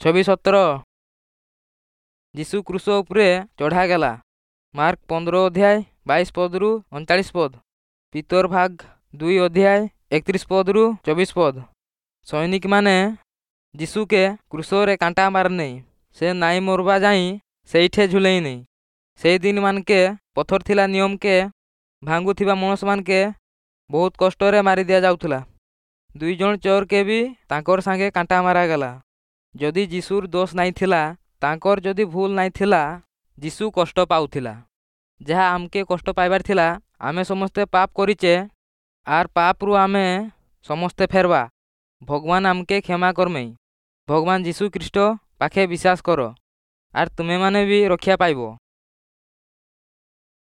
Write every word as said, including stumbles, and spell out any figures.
ଛବିଶ ସତର ଯୀଶୁ କ୍ରୁଶ ଉପରେ ଚଢ଼ାଗଲା। ମାର୍କ ପନ୍ଦର ଅଧ୍ୟାୟ ବାଇଶ ପଦରୁ ଅଣଚାଳିଶ ପଦ, ପିତର ଭାଗ ଦୁଇ ଅଧ୍ୟାୟ ଏକତିରିଶ ପଦରୁ ଚବିଶ ପଦ। ସୈନିକମାନେ ଯୀଶୁକେ କ୍ରୁଶରେ କାଣ୍ଟା ମାରନେଇ, ସେ ନାଇଁ ମରବା ଯାଇ ସେଇଠେ ଝୁଲେଇନେଇ। ସେଇ ଦିନ ମାନକେ ପଥର ଥିଲା ନିୟମକେ ଭାଙ୍ଗୁଥିବା ମଣିଷମାନକେ ବହୁତ କଷ୍ଟରେ ମାରି ଦିଆଯାଉଥିଲା। ଦୁଇ ଜଣ ଚୋରକେ ବି ତାଙ୍କର ସାଙ୍ଗେ କାଣ୍ଟା ମାରାଗଲା। ଯଦି ଯୀଶୁର ଦୋଷ ନାଇଁ ଥିଲା, ତାଙ୍କର ଯଦି ଭୁଲ ନାଇଁ ଥିଲା, ଯୀଶୁ କଷ୍ଟ ପାଉଥିଲା। ଯାହା ଆମକେ କଷ୍ଟ ପାଇବାର ଥିଲା, ଆମେ ସମସ୍ତେ ପାପ କରିଛେ ଆର୍ ପାପରୁ ଆମେ ସମସ୍ତେ ଫେରବା। ଭଗବାନ ଆମକେ କ୍ଷମା କରମେଇ। ଭଗବାନ ଯୀଶୁ ଖ୍ରୀଷ୍ଟ ପାଖେ ବିଶ୍ୱାସ କର ଆର୍ ତୁମେମାନେ ବି ରକ୍ଷା ପାଇବ।